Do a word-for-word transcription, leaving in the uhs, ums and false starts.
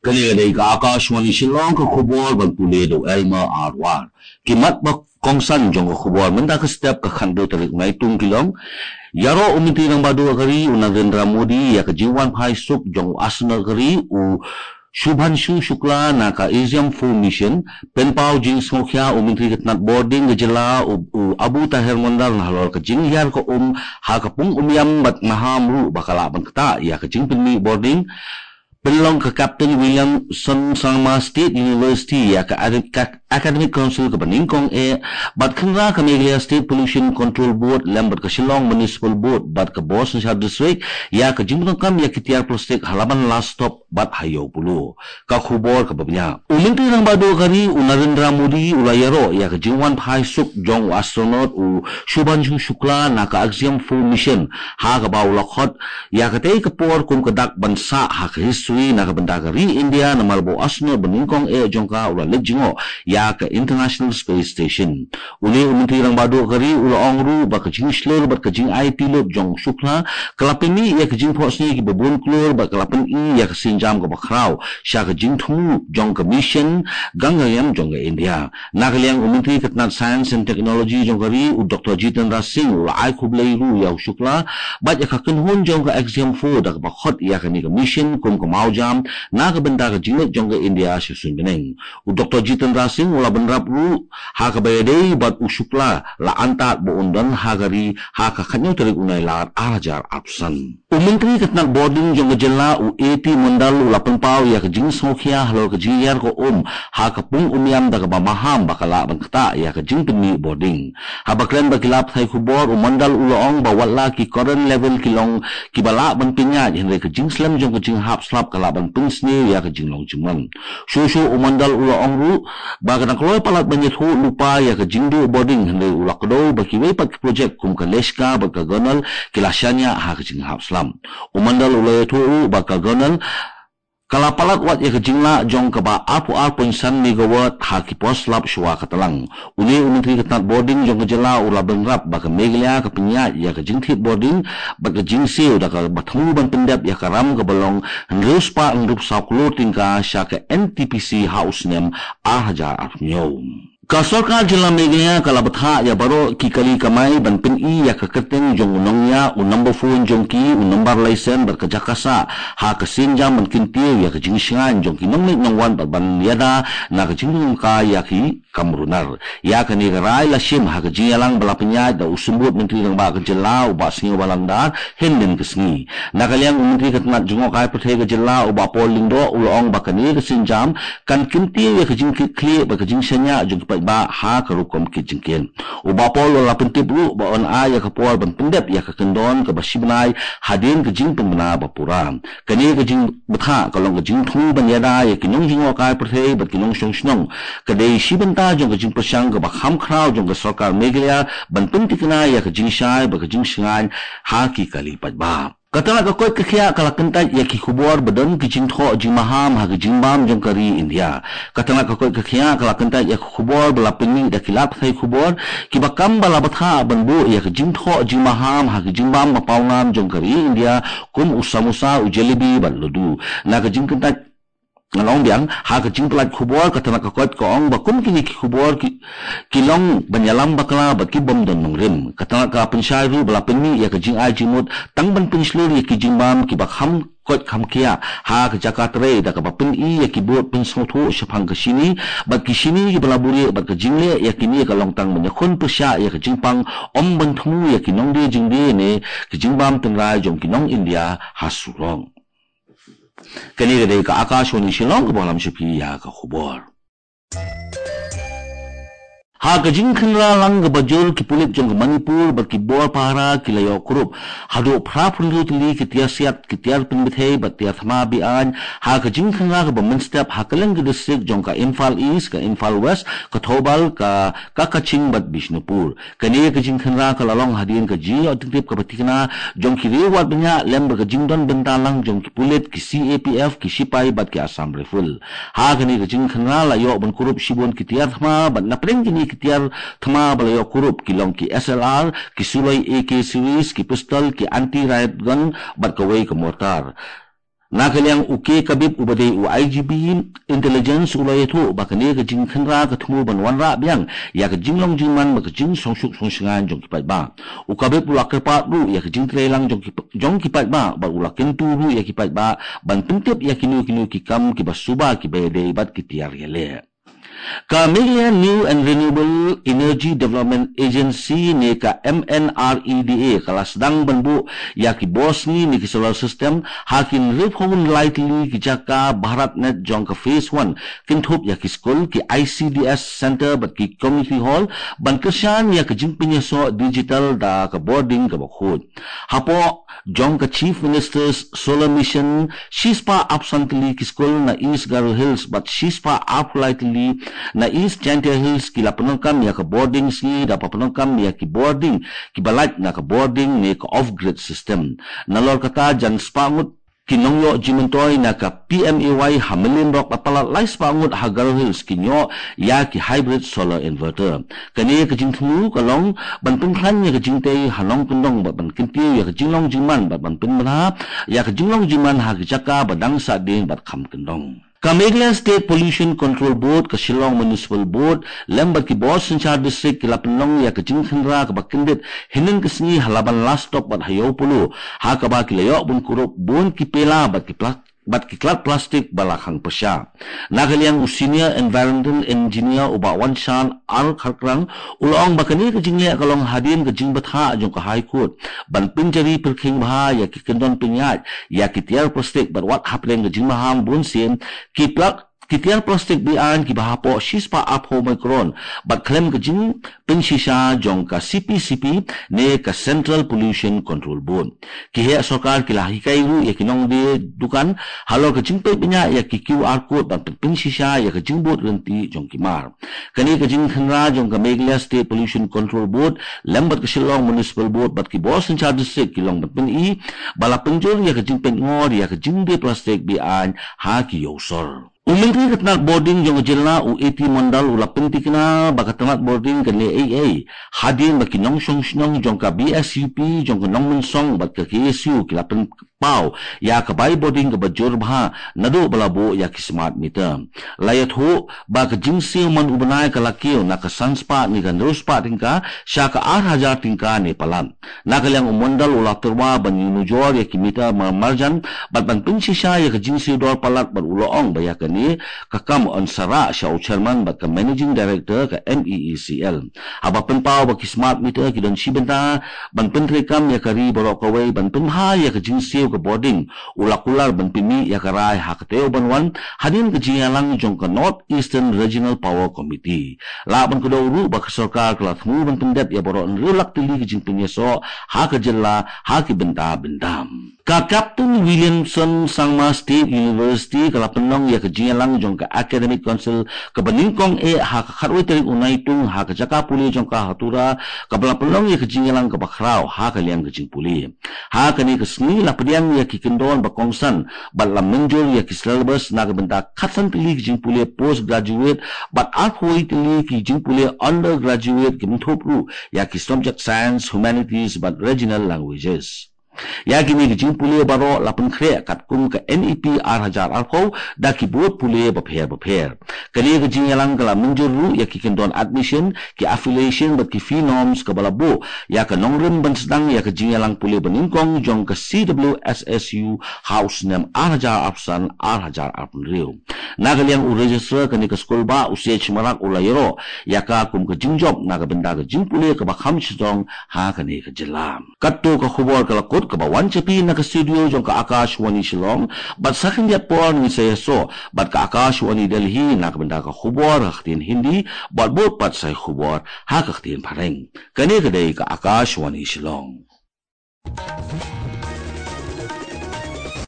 Kane ka dei ka Akashvani Shillong, ka khubor ban pule da u Elmer Arwar. Ki mat ba kongsan jong ka khubor mynta ka step ka khathynriew tarik Naitung ki long: Ïaroh u Myntri Rangbah Duh ka ri u Narendra Modi ïa ka jingwan phai suk jong u astronaut ka ri u Shubhanshu Shukla na ka Axiom four mission. Pynpaw jingsngewkhia u Myntri ka tnat bording ka jylla u, u Abu Taher Mondal halor ka jinghiar ka um ha ka pung Umiam bad maham ruh ba ka lah ban ktah ïa ka jingpynmih bording. Pynlong ka Captain Williamson Sangma State University ïa ka Acad-, ka Academic Council kaba nyngkong eh, bad khynra ka Meghalaya State Pollution Control Board lem bad ka Shillong Municipal Board bad ka Bor Synshar District ïa ka jingpyndonkam ïa ki tiar plastik ha Laban Last Stop bad ha Ïew Polo. Ka khubor kaba bniah. U Myntri Rangbah Duh ka ri u Narendra Modi u la ïaroh ïa ka jingwan phai suk jong u astronaut u Shubhanshu Shukla na ka Axiom four mission, ha kaba u la khot ïa katei ka por kum ka dak ban sah ha ka history na ka bynta ka ri India, namar ba u astronaut ba nyngkong eh jong ka u la leit jngoh ïa ka International Space Station. Une u Myntri Rangbah Duh ka ri u la ong ruh ba ka jingshlur bad ka jingaiti lut jong u Shukla ka la pynmih ïa ka jingphohsniew kiba bun klur bad ka la pyni ïa ka sienjam kaba khraw sha ka jingthmu jong ka mission Gaganyaan jong ka India. Na ka liang u Myntri ka tnat Science and Technology jong ka ri u Doctor Jitendra Singh u la ai khublei ruh ïa u Shukla bad ïa ka kynhun jong ka Axiom four da kaba khot ïa kane ka mission kum ka mawjam na ka bynta ka jingleit jong ka India sha suiñ bneng. U Doctor Jitendra Singh u la bynrap ruh ha kaba ïadei bad u Shukla la antad ba un don ha ka ri ha ka khathynñiew tarik u Nailar ar hajar arphew san. U Myntri ka tnat bording jong ka jylla u A T Mondal u la pynpaw ïa ka jingsngewkhia halor ka jinghiar ka um ha ka pung Umiam da kaba maham ba ka lah ban ktah ïa ka jingpynmih bording. Haba kren bad ki lad pathai khubor u Mondal u la ong ba watla ki current level ki long kiba lah ban pynïaid hynrei ka jingslem jong ka jinghap slap ka lah ban pynsniew ïa ka jinglong jingman. Shuh shuh u Mondal u la ong ruh ba ka dang kloi palat ban ïathuh lypa ïa ka jingduh bording hynrei u la kdew ba kiwei pat ki projek kum ka Leshka bad ka Gonal ki la shaniah ha ka jinghap slap. U Mondal u la ïathuh ruh ba ka Gonal ka la palat wat ïa ka jinglah jong kaba arphew ar point san megawatt ha ki por slap shuwa ka tlang. Une u Myntri ka tnat bording jong ka jylla u la bynrap ba ka Meghalaya ka pynïaid ïa ka jingthied bording bad ka jingsiew da kaba thmu ban pyndep ïa ka ram kaba long hynriew spah hynriewphew saw klur tyngka sha ka N T P C ha u snem ar hajar arphew hynñiew. Ka sorkar jylla Meghalaya ka la bthah ïa baroh ki kali kamai ban pyni ïa ka kyrteng jong u nongñiah u number phone jong ki, u nombar laisen bad ka jaka sah ha ka sienjam ban kyntiew ïa ka jingshngaiñ jong ki nongleit nongwan bad ban ïada na ka jingdon ka ïa ki kam runar. Ïa kane ka rai la shim ha ka jingïalang ba la pynïaid da u Symbud Myntri Rangbah ka jylla u Bah Sniawbhalang Dhar hynnin ka sngi. Na ka liang u Myntri ka tnat jngohkai pyrthei ka jylla u Bah Paul Lyngdoh u la ong ba kane ka sienjam kan kyntiew ïa ka jingkitkhlieh bad ka jingshaniah jong ki paidbah ha ka rukom kit jingkit. U Bah Paul u la pyntip ruh ba yn ai ïa ka por ban pyndep ïa ka kyndon kaba shi bnai hadien ka jingpynbna ba pura. Kane ka jingbthah ka long ka jingthmu ban ïada ïa ki nongjngohkai pyrthei bad ki nongshong shnong. Ka dei shi bynta jong ka jingpyrshang kaba kham khraw jong ka sorkar Meghalaya ban pyntikna ïa ka jingshai bad ka jingshngaiñ ha ki kali paidbah. Ka tnat ka koit ka khiah ka la kyntait ïa ki khubor ba don ki jingthoh jingmaham ha ki jingbam jong ka ri India. Ka tnat ka koit ka khiah ka la kyntait ïa ki khubor ba la pynmih da ki lad pathai khubor kiba kam ba la bthah ban buh ïa ki jingthoh jingmaham ha ki jingbam ba pawnam jong ka ri India kum u samosa, u jalebi bad laddu. Na ka jingkyntait, ngan ong biang, ha ka jingpyllait khubor ka tnat ka koit ka ong ba kum kine ki khubor ki, ki long ban ïalam bakla bad ki bym don nongrim. Ka tnat ka pynshai ruh ba la pynmih ïa ka jingai jingmut tang ban pynshlur ïa ki jingbam kiba kham koit kham khiah ha ka jaka trei da kaba pyni ïa ki bud pynsngewthuh shaphang ka shini bad ki shini kiba la buhrieh bad ka jingleh ïa kine ka long tang ban ïakhun pyrshah ïa ka jingpang, ym ban thmu ïa ki nongdie jingdie ne ki jingbam tynrai jong ki nong India ha surok. Kane ka dei ka Akashvani Shillong kaba lam sha phi ïa ka khubor. Ha ka jingkhynra lang kaba jur ki pulit jong ka Manipur bad ki bor pahara ki la ïoh kurup haduh phra phew hynriew tylli ki tiar siat, ki tiar pynbthei bad tiar thma be-aiñ ha ka jingkhynra kaba mynstep ha kylleng ki district jong ka Imphal East, ka Imphal West, ka Thoubal, ka, ka Kakching bad Bishnupur. Kane ka jingkhynra ka la long hadien ka jingïoh jingtip kaba thikna jong ki riew wad bniah lem bad ka jingdon bynta lang jong ki pulit, ki C A P F, ki shipai bad ki Assam Rifle. Ha kane ka jingkhynra la ïoh ban kurup shibun ki tiar thma bad napdeng kine ki tiar thma ba la ïoh kurup ki long ki S L R, ki suloi A K series, ki pistol, ki anti riot gun bad kawei ka mortar. Na ka liang u K Kabib uba dei u I G P Intelligence u la ïathuh ba kane ka jingkhynra ka thmu ban wanrah biang ïa ka jinglong jingman bad ka jingsngewsuk sngewsngew jong ki paidbah. U Kabib u la kyrpad ruh ïa ka jingtrei lang jong ki, jong ki paidbah bad u la kyntu ruh ïa ki paidbah ban pyntip ïa kino kino ki kam kiba suba kiba ïadei bad ki tiar ïaleh. Ka Meghalaya New and Renewable Energy Development Agency ne ka M N R E D A ka la sdang ban buh ïa ki bor sngi ne ki solar system ha ki hynriewphew lai tylli ki jaka BharatNet jong ka phase one, kynthup ïa ki skul, ki I C D S center bad ki community hall, ban kyrshan ïa ka jingpynïasoh digital da ka bording kaba khuid. Hapoh jong ka Chief Minister's Solar Mission, shispah arphew san tylli ki skul na East Garo Hills bad shispah arphew lai tylli na East Jaintia Hills ki la pyndonkam ïa ka bording sngi da ba pyndonkam ïa ki bording kiba lait na ka bording ne ka off-grid system. Nalor kata, jan spah ngut ki nongïoh jingmyntoi na ka P M A Y ha Mawlynrok bad palat lai spah ngut ha Garo Hills kin ïoh ïa ki hybrid solar inverter. Kane ka jingthmu ka long ban pynkhlaiñ ïa ka jingtei ha nongkyndong bad ban kyntiew ïa ka jinglong jingman bad ban pynbha ïa ka jinglong jingman ha ki jaka ba dang sahdien bad kham kyndong. Ka Meghalaya State Pollution Control Board, ka Shillong Municipal Board lem bad ki bor synshar district ki la pynlong ïa ka jingkhynra kaba kyndit hynnin ka sngi ha Laban Last Stop bad ha Ïew Polo, ha kaba ki la ïoh bun kurup bun ki pela bad ki pla- bad ki klat plastik ba la khang pyrshah. Na ka liang u Senior Environmental Engineer u Bah Wanshan R Kharkrang u la ong ba kane ka jingleh ka long hadien ka jingbthah jong ka High Court ban pynjari pyrkhing bha ïa ki kyndon pynïaid ïa ki tiar plastik bad wat hapdeng ka jingmaham bun sien ki pla- ki tiar plastik be-aiñ kiba hapoh shispah arphew micron bad khlem ka jingpynshisha jong ka C P C B ne ka Central Pollution Control Board. Ki heh sorkar ki la hikai ruh ïa ki nongdie dukan halor ka jingpeit bniah ïa ki Q R code bad pynshisha ïa ka jingbud rynti jong ki mar. Kane ka jingkhynra jong ka Meghalaya State Pollution Control Board lem bad ka Shillong Municipal Board bad ki bor synshar district ki long ban pyni ba la pynjur ïa ka jingpeit ngor ïa ka jingdie plastik be-aiñ ha ki ïew sor. U Myntri ka tnat bording jong ka jylla u A T Mondal u la pyntikna ba ka tnat bording kan leh ei ei hadien ba ki nongshong shnong jong ka B S U P, jong ka Nongmynsong bad ka K S U ki la pynpaw ïa ka bai bording kaba jur bha naduh ba la buh ïa ki smart meter. La ïathuh ba ka jingsiew man u bnai ka la kiew na ka san spah ne ka hynriew spah tyngka sha ka ar hajar tyngka ne palat. Na ka liang u Mondal u la tyrwa ban ïanujor ïa ki meter mar marjan bad ban pynshisha ïa ka jingsiew dor palat bad u la ong ba ïa kane ka kam yn sa rah sha u chairman bad ka managing director ka M E E C L. Haba pynpaw ba ki smart meter ki don shi bynta ban pyntreikam ïa ka ri baroh kawei ban pynbha ïa ka jingsiew ka bording, u la kular ban pynmih ïa ka rai ha ka taïew ban wan hadien ka jingïalang jong ka North Eastern Regional Power Committee. Lah ban kdew ruh ba ka sorkar ka la thmu ban pyndep ïa baroh hynriew lak tylli ka jingpynïasoh ha ka jylla ha ki bynta bynta. Ka Captain Williamson Sangma State University ka la pynlong ïa ka jingïalang jong ka Academic Council kaba nyngkong eh ha ka khatwei tarik u Naitung ha ka jaka pule jong ka ha Tura, kaba la pynlong ïa ka jingïalang kaba khraw ha ka liang ka jingpule. Ha kane ka sngi la pdiang ïa ki kyndon ba kongsan bad la mynjur ïa ki syllabus na ka bynta khatsan tylli ki jingpule postgraduate bad arphew wei tylli ki jingpule undergraduate, kynthup ruh ïa ki subject science, humanities bad regional languages. Ïa kine ki jingpule baroh la pynkhreh katkum ka N E P ar hajar arphew da ki bor pule bapher bapher. Kane ka jingïalang ka la mynjur ruh ïa ki kyndon admission, ki affiliation bad ki fee norms, kaba la buh ïa ka nongrim ban sdang ïa ka jingïalang pule banyngkong jong ka C W S S U ha u snem ar hajar arphew san, ar hajar arphew hynriew. Na ka liang u registrar kane ka skul, Bah Usiej Marak, u la ïaroh ïa ka kum ka jingjop na ka bynta ka jingpule kaba kham shajrong ha kane ka jylla. Katto ka khubor ka la kut kaba wan sha phi na ka studio jong ka Akashvani Shillong, bad sa khyndiat por ngin sa ïasoh bad ka Akashvani Delhi na ka bynta ka khubor ha ka ktien Hindi, bad bud pat sa ïa khubor ha ka ktien Phareng. Kane ka dei ka Akashvani Shillong.